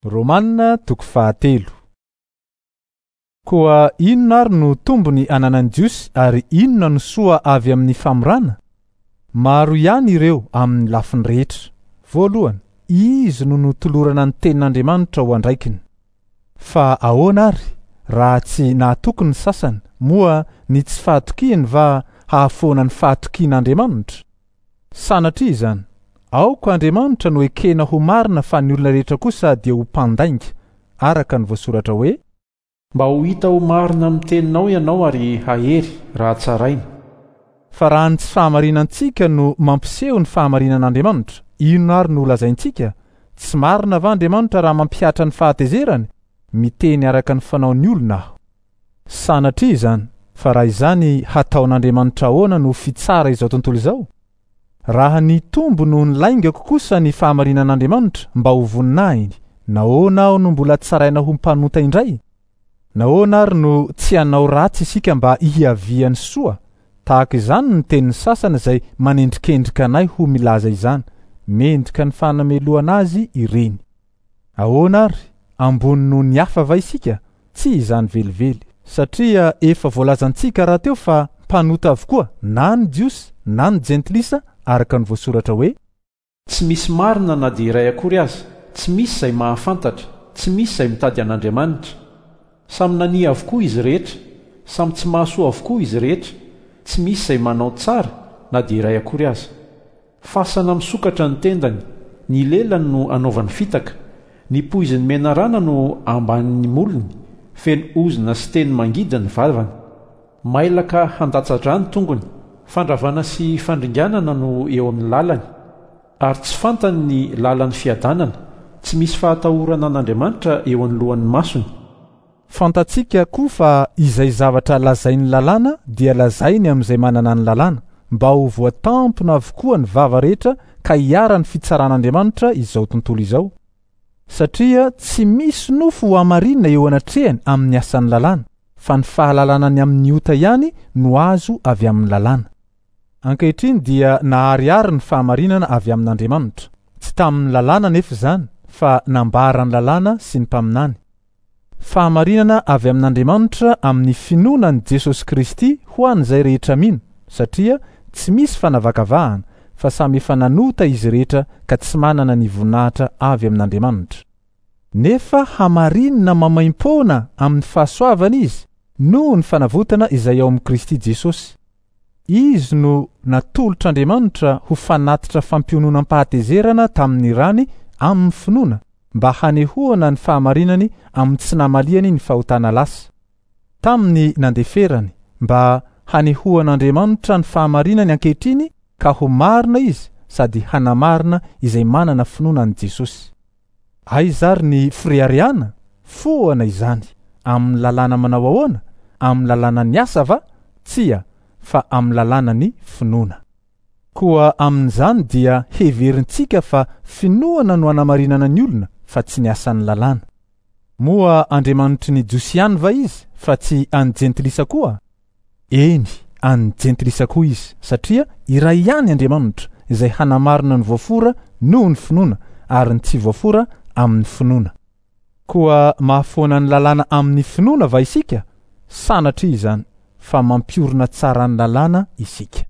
Romana toko fahatelo. Koa inona ary no tombony ananan'ny Jiosy ary inona no soa avy amin'ny famorana? Maro ihany ireo amin'ny lafiny rehetra. Voalohany, izy no notolorana ny tenin'Andriamanitra ho andraikiny. Fa ahoana ary raha tsy nahatoky ny sasany, moa ny tsy fahatokiany va hahafoana ny fahatokian'Andriamanitra? Sanatria izany! Aoka Andriamanitra no ekena ho marina fa ny olona rehetra kosa dia ho mpandainga, araka ny voasoratra hoe. Mba ho hita ho marina amin'ny teninao ianao ary hahery raha tsaraina. Fa raha ny tsy fahamarinantsika no mampiseho ny fahamarinan'Andriamanitra, inona ary no holazaintsika? Tsy marina va Andriamanitra raha mampihatra ny fahatezerany? Miteny araka ny fanaon'ny olona aho. Sanatria izany, fa raha izany hataon'Andriamanitra ahoana no fitsara izao tontolo izao? Raha nitombo noho ny laingako kosa ny fahamarinan'Andriamanitra mba ho voninahiny, nahoana aho no mbola tsaraina ho mpanota indray? Nahoana ary no tsy hanao ratsy isika mba hiavian'ny soa? Tahaka izany ny tenin'ny sasany izay manendrikendrika anay ho milaza izany, mendrika ny fanamelohana azy ireny. Ahoana ary? Ambony noho ny hafa va isika? Tsy izany velively, satria efa voalazantsika rahateo fa mpanota avokoa na ny Jiosy na ny Jentilisa araka ny voasoratra hoe. Tsy misy marina na dia iray akory aza, tsy misy izay mahafantatra, tsy misy izay mitady an'Andriamanitra. Samy nania avokoa izy rehetra, samy tsy mahasoa avokoa izy rehetra, tsy misy izay manao tsara na dia iray akory aza. Fasana misokatra ny tendany, ny lelany no anaovany fitaka, ny poizin'ny menarana no ambanin'ny molony, feno ozona sy teny mangidy ny vavany. Mailaka handatsa-drà ny tongony, fandravana sy fandringanana no eo amin'ny lalany, ary tsy fantany ny lalan'ny fiadanana, tsy misy fahatahorana an'Andriamanitra eo anoloan'ny masony. Fantatsika koa fa izay zavatra lazain'ny lalàna dia lazainy amin'izay manana ny lalàna, mba ho voatampina avokoa ny vava rehetra ka hiharan'ny fitsaran'Andriamanitra izao tontolo izao. Satria tsy misy nofo hohamarinina eo anatrehany amin'ny asan'ny lalàna, fa ny fahalalana ny amin'ny ota ihany no azo avy amin'ny lalàna. Ankehitriny dia naharihary ny fahamarinana avy amin'Andriamanitra. Tsy tamin'ny lalàna anefa izany, fa nambaran'ny lalàna sy ny mpaminany. Fahamarinana avy amin'Andriamanitra amin'ny finoana an'i Jesosy Kristy ho an'izay rehetra mino, satria tsy misy fanavakavahana, fa samy efa nanota izy rehetra ka tsy manana ny voninahitra avy amin'Andriamanitra. Nefa hamarinina maimaimpoana amin'ny fahasoavana izy noho ny fanavotana izay ao amin'i Kristy Jesosy. Izy no natolotr'Andriamanitra ho fanatitra fampiononam-pahatezerana tamin'ny rany amin'ny finoana, mba hanehoana ny fahamarinany amin'ny tsy namaliany ny fahotana lasa. Tamin'ny nandeferany, mba hanehoan'Andriamanitra ny fahamarinany ankehitriny ka ho marina izy sady hanamarina izay manana finoana an'i Jesosy. Aiza ary ny fireharehana? Foana izany. Amin'ny lalàna manao ahoana? Amin'ny lalànan'ny asa va? Tsia, fa amin'ny lalànan'ny finoana. Koa amin'izany dia heverintsika fa finoana no anamarinana ny olona fa tsy ny asan'ny lalàna. Moa Andriamanitry ny Jiosy ihany va izy fa tsy an'ny Jentilisa koa? Eny, an'ny Jentilisa koa izy, satria iray ihany Andriamanitra, izay hanamarina ny voafora noho ny finoana ary ny tsy voafora amin'ny finoana. Koa mahafoana ny lalàna amin'ny finoana va isika? Sanatria izany, fa mampiorina tsara ny lalàna isika.